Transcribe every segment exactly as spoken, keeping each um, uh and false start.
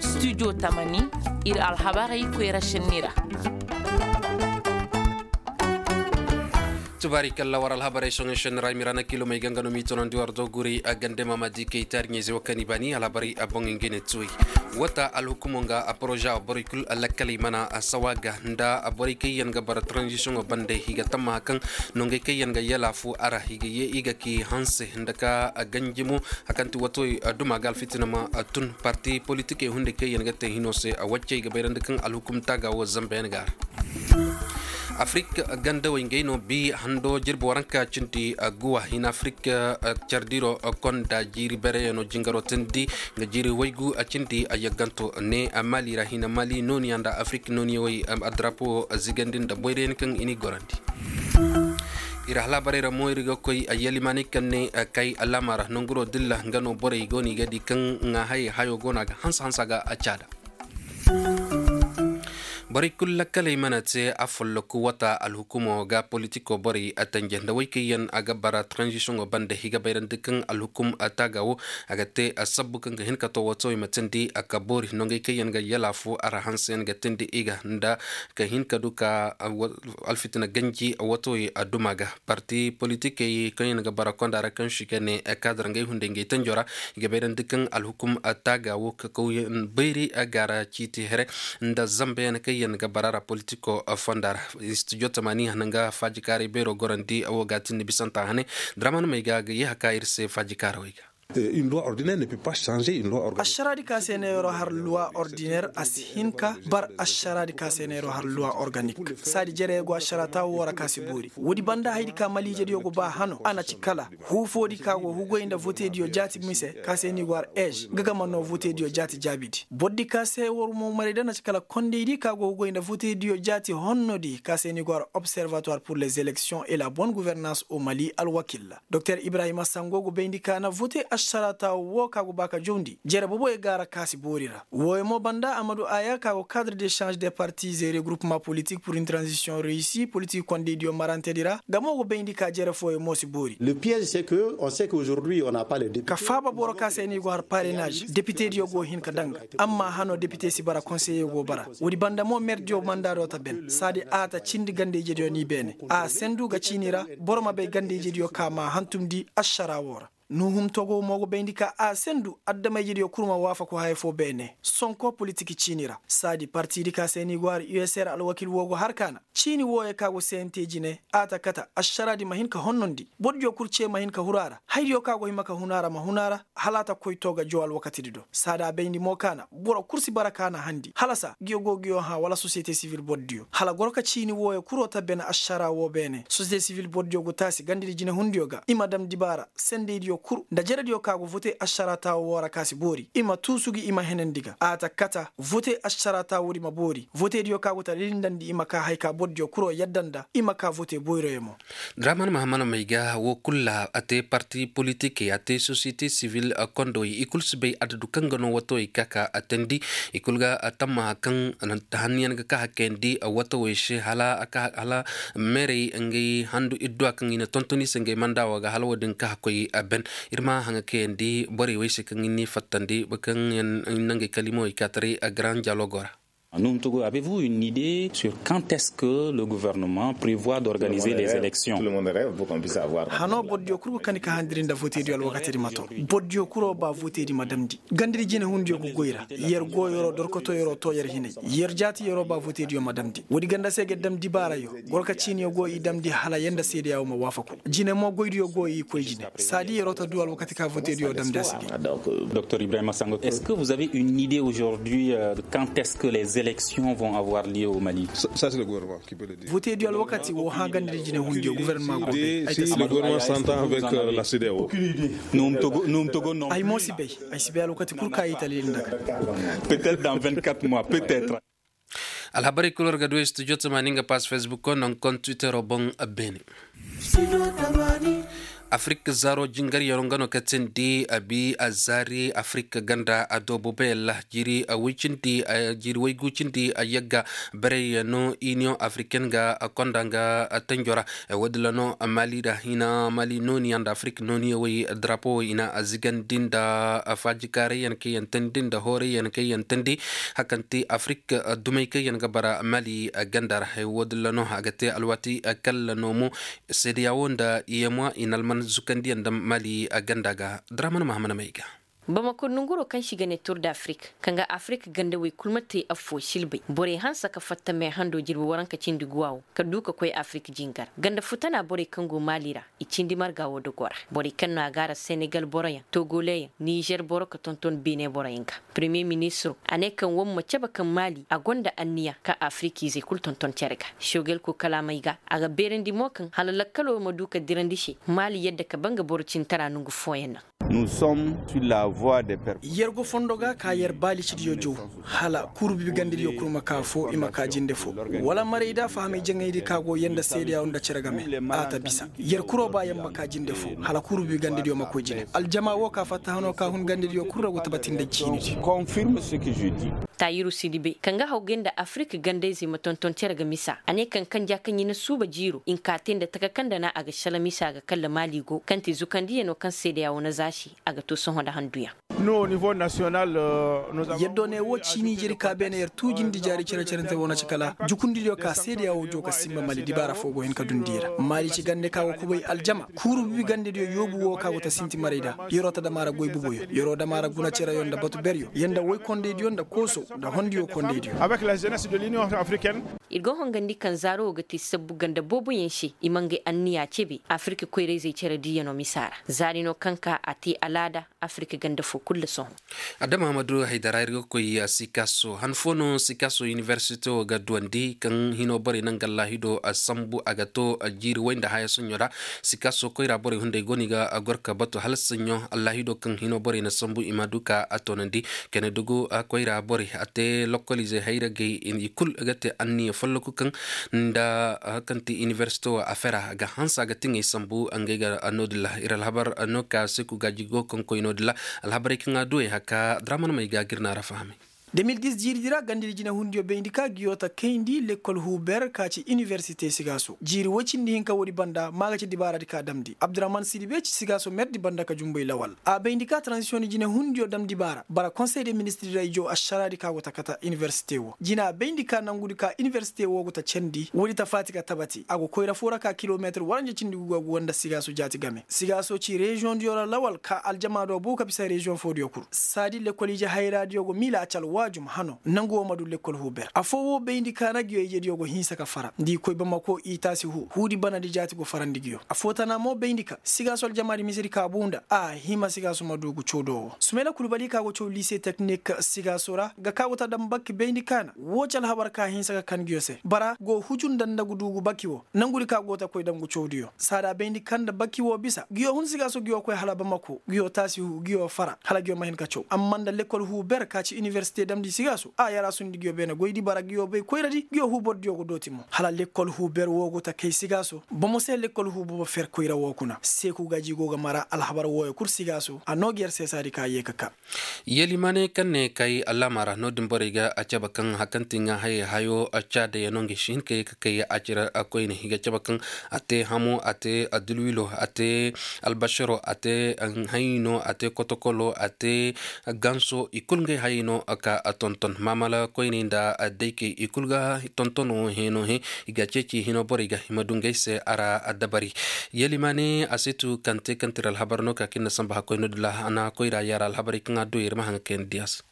Studio tamani, ir alhabarey koyra šenni ra. Tubaari kalla war alhabarey soŋey šenni ra i ma i ra na kilomey ganga no m'i tonandi war do guri a gande maama di kay taari ɲayze wo kaŋ i baani alhabarey a boŋ ngey ne tuwey. Wata alhukumo nga a poroza borey kul lakkaley mana a sawa ga nda borey kaŋ yaŋ ga bara tranzisiyoŋo bande i ga tammaha kaŋ nongey kaŋ yaŋ ga yalaafu a ra i ga ye i ga k'i hanse nda ka ganji mo. Hakanti wato duma ga alfitina ma tun parti politikey hunday kaŋ yaŋ ga te hino se a waccey ga bayrandi kaŋ alhukum taaga wo zambayaŋ ga a ra. Afrik gandawey ngey no bi hando jirbi waranka cindi guwa hina afrik cardiro konda jiiri bereyaŋo jingaro tindi nga jiiri waygu cindi a yagganto ne mali ra hina mali nooniya nda afrik nooniyawey a drapo zigandi nda boyrayaŋ kaŋ i n'i gorandi. Ir halabarey ra mo ir ga koy a yalimaanay kaŋ ne kay alaama ra nanguro dilla nga no borey go no i ga di kaŋ ŋaahayey hayo go no a ga hanse hanse a ga a caada. Borey kulu lakkaley mana te a folloku wata alhukumo ga politiko borey a tanje nda wey kaŋ yaŋ a ga bara tranzisiyoŋo bande i ga bayrandi kaŋ alhukum taaga wo a ga te a sabbu kaŋ ga hin ka to watowey ma tindi a ka boori nongey kaŋ yaŋ ga yalaafu a ra hanseyaŋ ga tindi i ga nda ka hin ka du ka alfitina ganji watowey a duma ga. Parti politikey kaŋ yaŋ ga bara konda ra kaŋ si ga ne kaadar ngey hunday ngey tanjo ra i ga bayrandi kaŋ alhukum taaga wo ka kawyaŋ bayri a ga ra ciiti here nda zambayaŋ kaŋ yaŋ ga bara ra politiko fonda ra. Studio tamani hana nga faajikaaray beero gorandi a wo ga tindi bisanta hane draman may ga ga ye haka ir se faajikaarawey ga. Ašaraadi ka se ne yeroo har luwa ordiner a si hin ka bar ašaraadi ka se ne yeroo har luwa organik. Saadi jereyey go ašaraa taawo woo ra ka si boori woodi banda hayadi ka maliijediyo go ba hano a na ci kala huufoodi ka go hugoy nda votediyo jaati mise ka se ni go har eez nga ga ma noo votediyo jaati jaabidi bordi ka se war mo marayda na ci kala kondaydi ka go hugoy nda votediyo jaati honnodi ka se ni go har observatoire pour les élections et la bonne gouvernance au mali alwakilla. Doktor ibrahima sango go bayndi ka na vote ašaraata woo ka go ba ka jawndi jere boboyo ga ra ka si boori ra wooyo mo banda amadu aya ka go cadre de change de parti zere groupement politik pour une transition reisi politik kondaydiyo marantedi ra nga mo go bayndi ka jere fooyo mo si boori. Ka faaba boro ka se ni go har parenaz depitediyo go hin ka danga amma hano depite si bara konseye go bara woodi banda mo merdiyo mandaado ta ben saadi a ta cindi ganda-ijediyo ni beene a sendu ga ciini ra boro ma bay ganda-ijediyo ka ma hantumndi ašaraa woo ra. Nuhum togo mo go bayndi ka a sendu adama-ijediyo kul ma waafaku haya foo beene sonko politik ciini ra saadi partidi ka se ni go har usr alwakil woo go har kaana ciini wooyo ka go sente jine a ta kata ašaraadi ma hin ka honnondi bordiyo kul cee ma hin ka huru a ra hayadiyo ka go hima ka hun a ra ma hun a ra hala a ta koy too ga jow alwakatidi do saada bayndi mo kaana boro kul si bara kaana handi halasa ngiyo go ngiyo hã wala sosiyete sivil bordiyo hala goro ka ciini wooyo kuloo ta bene ašaraa woo beene sosiyete sivil bordiyo go taasi gandadi jinehundiyo ga i ma dam dibaara sendeydiyo kul nda jerediyo ka go vote ašaraa taawo woo ra ka si boori i ma tuusu gi i ma henandi ga a ta kata vote ašaraa taawoodi ma boori votediyo ka go ta lilindandi i ma ka hay ka bordiyo kuloo yadda nda i ma ka vote boyroyo mo. Draman mahaman may ga woo kul ra a te parti politikey a te sosiyete sivil kondowey i kul si bay adadu kaŋ ga no watowey ka ka a teendi i kul ga tammaha kaŋ hanniyaŋ ga ka hakayandi watowey se hala meerey ngey handu idduwa kaŋ i na tonton i se ngey mandaawoo ga hala woo din ka hakkoy a ben. Ir ma haŋa kayandi borey wey se kaŋ i n'i fattandi kaŋ yaŋ na ngey kalimawey ka taray a garan dialogo ra. Avez vous une idée sur quand est-ce que le gouvernement prévoit d'organiser les élections? Hanoo bordiyo kul go kani ka handiri nda votediyo alwakatidi ma to bordiyo kuloo ba votedi ma damndi gandadi jinehundiyo go goy ra yer go yeroo dorkotoo yeroo too yer hinay yer jaati yeroo ba votediyo ma damndi woodi ganda se ga damndi baarayo gorka ciiniyo go i damndi hala yer nda seedeyaa woo ma waafaku jine mo goydiyo go i koy jine saadi yeroo ta duu alwakati ka votediyo damndi a si gay. Doktor ibrahima sango est-ce que vous avez une idée aujourd'hui de quand est-ce que les élections vont avoir lieu au mali? Votediyo alwakati woo hã gandadi jinehundiyo gouvernement go bay ay ta si bay. Ay mo si bay. Ay si bay alwakati kul ka i ta lil nda ga. Peut-être dans vingt-quatre mois peut-être. Alhabarey kul war ga du studio tamaani nga pass facebook ko non kon twittero boŋ. Beene. Afirik zaaro jingaryaŋo nga no ka tindi a bi a zaari afirik ganda a doobo bayalla jiiri way cindi jiiri waygu cindi a yagga barayyaŋo iniyoŋ afiriken ga konda nga tanjo ra. Woodin ra no mali ra hina mali nooniyaŋ nda afirik nooniyaŋ way darapo way i na a zigandi nda faajikaarayyaŋ kaŋ yaŋ tandi nda hoorayyaŋ kaŋ yaŋ tandi. Hakanti afirik dumey kaŋ yaŋ ga bara mali ganda ra. Woodin ra no a ga te alwaati kalla no mo seedeya wo nda yemwa i na alman zukandiyaŋ nda mali ganda ga. Daraman mahamana may ga. Bamako nonguroo kaŋ se i ga ne tur da afirik kaŋ ga afirik ganda way kulu ma te affoo silbay borey hanse ka fatta mee handoo jirbi waranka cindi guwa wo ka duu ka koy afirik jingar ganda futana borey kaŋ go maali ra. I cindi marga woo dogoo ra borey kaŋ no a gaara senegal boroyaŋ togoleyaŋ nizer boro ka tonton beene boroyaŋ ga. Premiye ministiroo a ne kaŋ woo ma cabe kaŋ maali a gonda anniya kaŋ afirikizey kul tonton cere ga. Sogel koo kalaamey ga a ga beerandi mo kaŋ hala lakkaloo ma duu ka dirandi se maali yadda ka ba nga boro cintara nongu fooyaŋ naŋ. Yer go fondo ga ka yer baalicidiyo jow hala kuuru bibi gandediyo kul ma ka foo i ma ka jinde foo wala marayda fahamay jaŋaydi ka go yer nda seedeya nda cere game. A ta bisa yer kuroo ba yer ma ka jinde foo hala kuuru bibi gandediyo ma koy jine aljama woo ka fatta hanoo ka hun gandediyo kul ra go tabati nda ciinidi. Tayiru sidibe kaŋ ga hawgay nda afirik gandayzey ma tonton cere ga misa a ne kaŋ kanja kaŋ i na suuba jiiro i nka te nda taka kaŋ nda na a ga shala misa ga kalla maali go kaŋ te zukandiyanoo kaŋ seedeya wo na za se a ga to sohõ nda handuyaŋ. Yer do ne wo ciini jeri ka beene yer tuujindi jaari cere-cerente wo na ci kala jukundidiyo ka seedeya wo joo ka sinba mali dibaara foo go hin ka dundi i ra maali ci gande ka go kubay aljama kuuru bibi gandediyo yoobu wo ka go ta sinti maray da. Yeroo ta dama ra goy buboyo yeroo dama ra guna cereyo nda batu beryo yer nda woy kondaydiyo nda kooso nda hondiyo kondaydiyo. Ir go hongandi kaŋ zaaro wo ga te sabbu ganda booboyaŋ se i ma ngey anniya cebe afirka koyrayzey cere diiyanoo misa ra. Zaari no kaŋ ka a te alaada afirka ganda foo kul nda sohõ. Adama hamadu haydara ir ga koy sikaso han foo no sikaso iniversite wo ga duwandi kaŋ hino borey naŋ ga allahido sambu a ga to jiiri way nda haya soɲo ra. Sikaso koyra borey hunday go no i ga gor ka batu hala saɲo allahido kaŋ hino borey na sambu i ma du ka a toonandi. Kene dugu koyra borey a te lokoliizey hayragey i kul ga te anniya folloku kaŋ nda kaŋ ti iniversite wo a fera ga hanse a ga tiŋey sambu ngey ga noodin ra ir alhabar no ka seku gaaji go kaŋ koy noodin ra. Alhabarey kaŋ a duwey haka draman may ga gir na ra fahamay. De mil dis jiiridi ra gandadi jinehundiyo bayndi ka ngiyo ta kayndi lekkol huuber ka ci iniwersite sigaaso jiiri woy cindi hinka woodi banda maa ga ci dibaaradi ka damndi abdurahman sidibe ci sigaaso merdi banda ka jumbay lawal a bayndi ka transisiyoŋ jinehundiyo damndi baara bara konsey de ministirey joo ašaraadi ka go ta kata iniwersite woo jina bayndi ka nangudi ka iniwersite woo go ta candi woodi ta faati ka tabati a go koyra foo ra ka kilometir waranja cindi guga guga nda sigaaso jaati game sigaaso ci reziyoŋdiyo ra lawal ka aljamaado buu ka bisa reziyoŋ foodiyo kul saadi lekkol ije hayraadiyo go miila a ci alwaajum hano nangu woo ma du lekkol huuber affoo woo bayndi ka na ngiyo ijediyo go hinsa ka fara nda i koy bamako i taasi huu huudi banadi jaati go farandi ngiyo affoo tana mo bayndi ka sigaaso aljamaadi misedi ka buu nda a hima sigaaso ma du ngu cawdo woo sumayla kulbali ka go caw liise teknik sigaaso ra ga ka go ta daŋ bakki bayndi ka na woo ci alhabar ka hinsa ka kan ngiyo se bara go huju nda nda ngu du ngu bakki woo nangudi ka go ta koy daŋ ngu cawdiyo saada bayndi ka nda bakki woo bisa ngiyo hun sigaaso ngiyo koy hala bamako ngiyo taasi huu ngiyo fara hala ngiyo ma hin ka caw amma nda lekkol huu ber ka ci iniwersite damndi sigaaso a yaraasundi ngiyo beene goydi bara ngiyo bay koyradi ngiyo huu bordiyo go dooti mo hala lekkol huu ber woo go ta kay sigaaso bomo se lekkol huu bobo fer koyra woo kuna seeku gaaji go ga mara alhabar wooyo kul sigaaso a noo ngi yer seesaadi ka yee ka kaa. Yelimane kaŋ ne kay allama ra no-din borey ga a cabe kaŋ hari kaŋ ti ŋaa hayey hayo caadayaŋ no ngi si hin ka yee ka kay a cire koyne i ga cabe kaŋ a te hamo a te adulwilo a te albasiro a te hayey no a te kotokolo a te ganso i kulu ngey hayey no ka tonton maamala koyney nda daykey i kulu ga tontono hẽeno hẽ i ga ceeci hino borey ga i ma du ngey se a ra dabari. Yelimane a si tu kaŋ te kaŋ tira alhabar no ka kaŋ ir na samba hakkoy no-din ra a na koyra yaara alhabarey kaŋ a du yer ma haŋ ga kayandi diya se.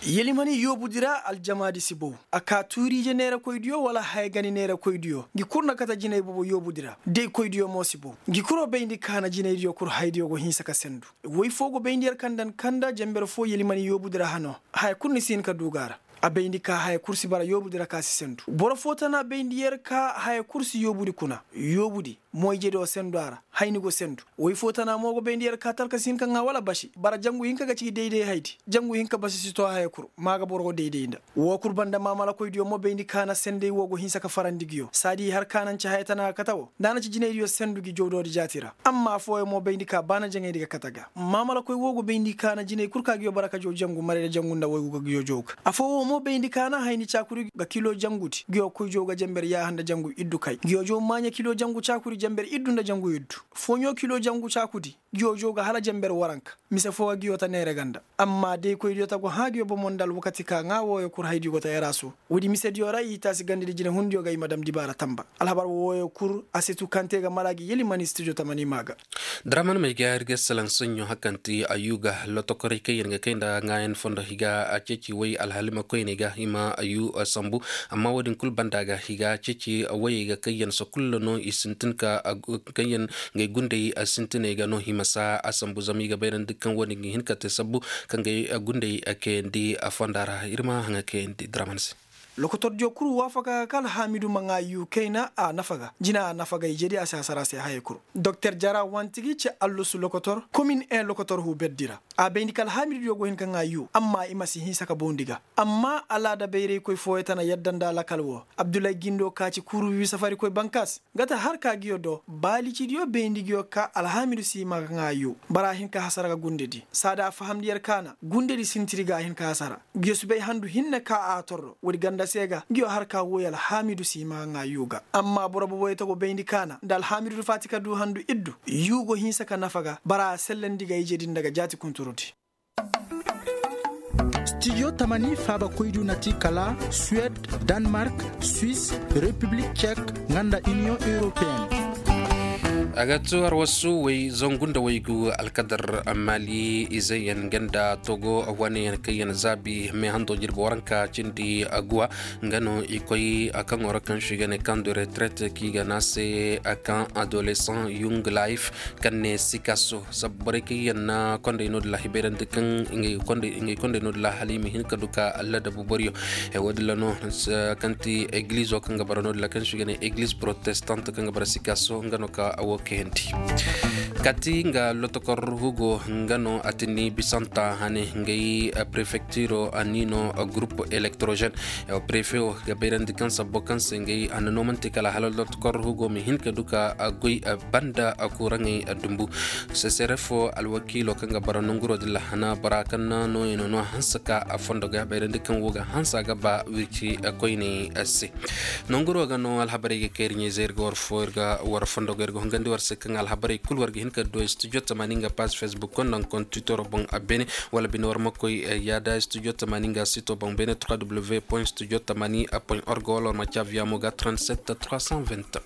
Yelimani yoobudi ra aljamaadi si bow a ka tuuriije neerakoydiyo wala haya gani neerakoydiyo ngi kulu na kate jinay bobo yoobudi ra daykoydiyo mo si bow ngi kulu bayndi ka na jinaydiyo kulu haydiyo go hinsa ka sendu woy foo go bayndi yer kaŋ daŋ kaŋ nda jenber foo yelimani yoobudi ra hano haya kulu ni si hin ka du ga a ra a bayndi ka haya kulu si bara yoobudi ra ka si sendu boro foo tana bayndi yer ka haya kulu si yoobudi kuna yoobudi mo ijediyo sendu a ra Hayni go sendu. Woy fo tana mo go bayndi yer ka talka si hin ka ŋaa wala basi bara jangu hinka ga ci dayday haydi. Jangu hinka basi si to haya kul. Ma ga boro go dayday nda. Woo kul banda maamalakoydiyo mo bayndi ka na senday woo go hinsa ka farandi nguyo saadi har ka na nci haya tana ga kate woo nda a na ci jinaydiyo sendu ngi jawdoodi jaati ra. Amma affooyaŋ mo bayndi ka baana jaŋaydi ga kate ga. Maamalakoy woo go bayndi ka na jinay kul ka nguyo bara ka jaw jangu maray nda jangu nda waygu ga nguyo jaw ga. Affoo woo mo bayndi ka na hayni caakuri ga kilo jangudi nguyo koy jaw ga janber yaaha nda jangu iddu kay nguyo jaw maaɲa kilo jangu caakuri janber iddu nda jangu iddu. Fooɲo kilo jangu caakudi. Nguyo jaw ga hala janber waranka. Mise foo ga nguyo ta neere ganda. Amma daykoydiyo ta go hã nguyo bomo nda alwakati ka ŋaa wooyo kul haydiyo go ta yaraasu. Woodi misediyo ra i taasi ganda di jinehundiyo ga i ma dam dibaara tamba. Alhabar wooyo kul a si tu kaŋ te ga mara gi yeli man istijo tamani maa ga. Daraman may ga ir ga salaŋ soɲɲo hakanti ayuu ga lotokoray kaŋ yaŋ ga kay nda ŋaayan fondo i ga ceeci way alhalima koyney ga i ma ayuu sambu. Amma woodin kul banda ga i ga ceeci wayey ga kaŋ yaŋ sokul no i sintin ka kaŋ yaŋ ngay gundey sintiney ga no i ma saa a sambu zama i ga bayrandi kaŋ woodin ga hin ka te sabbu kaŋ ngay gundey kayandi fonda ra ir ma haŋa kayandi daraman se. Lokotordiyo kul waafaka ka alhaamidu ma ŋaa yuu kayna a nafa ga jina a nafa ga ijedi a si hasara se hayey kul. Doktor jara wanti ga i ci allusu lokotor komin en lokotor huu berdi ra. A bayndi ka alhaamidudiyo go hin ka ŋaa yuu amma i ma si hinsa ka bawndi ga. Amma alaada bayraykoy fooyaŋ tana yadda nda alakal woo. Abdulay gindo ka ci kuuru wiwi safarikoy bankaas. Nga ta har ka nguyo do baalicidiyo bayndi nguyo ka alhaamidu si i ma ga ŋaa yuu. Bara a hin ka hasara ga gundedi saada a fahamndi yer ka na gundedi sintiri ga a hin ka hasara. Nguyo si bay handu hinne ka a torro woodi ganda se ga nguyo har ka woy alhaamidu si i ma ga ŋaa yuu ga. Amma boro boboyey ta go bayndi ka na nda alhaamidu faati ka duu handu iddu yuu go hinsa ka nafa ga bara a sellandi ga ije din nda ga jaati kunturudi. Studio tamani faabakoydiyo na ti kala suwed, danmark, swis, repiblik cek, nga nda iniyoŋ europeen. A ga tu arwasu way zangu nda waygu alkadar mali izey yaŋ nga nda togo wane yaŋ kaŋ yaŋ zaabi me hando jirbi waranka cindi guwa. Nga no i koy a kaŋo ra kaŋ si ga ne kaŋ du retret kaŋ i ga ne a se a kaŋ adolescent young life kaŋ ne sikaso sabbu borey kaŋ yaŋ na kondey no-din ra i bayrandi kaŋ ngey kondey no-din ra hala i ma hin ka du ka ladabu boriyo. Wo-din ra no kaŋ ti egilizo kaŋ ga bara no-din ra kaŋ si ga ne egliz protestant kaŋ ga bara sikaso nga no ka wo kayandi. Kati nga lotokor hugo nga no a tini bisanta hane ngey prefectiro a ni no groupe électrogène. Prefe wo ga bayrandi kaŋ sabbo kaŋ se ngey a na no manti kala hala lotokor hugo ma hin ka du ka goy banda kuraŋey dumbu. Sesere fo alwakiilo kaŋ ga bara nonguro din lahana bora kaŋ na nooyey no no hanse ka a fondo ga bayrandi kaŋ wo ga hanse a ga ba wirci koyney se. Nonguro ga no alhabarey ga kay ir ɲayzey ir ga war fo ir ga war fondo ga ir ga hungandi war se kaŋ alhabarey kul war ga hin ka du studio tamani nga page facebook konda nga konda twitter boŋ a beene. Wala bine war ma koy yaada studio tamani nga sito boŋ beene trois w point studio tamani point org wala war ma caa via mo ga trente sept trois cent vingt.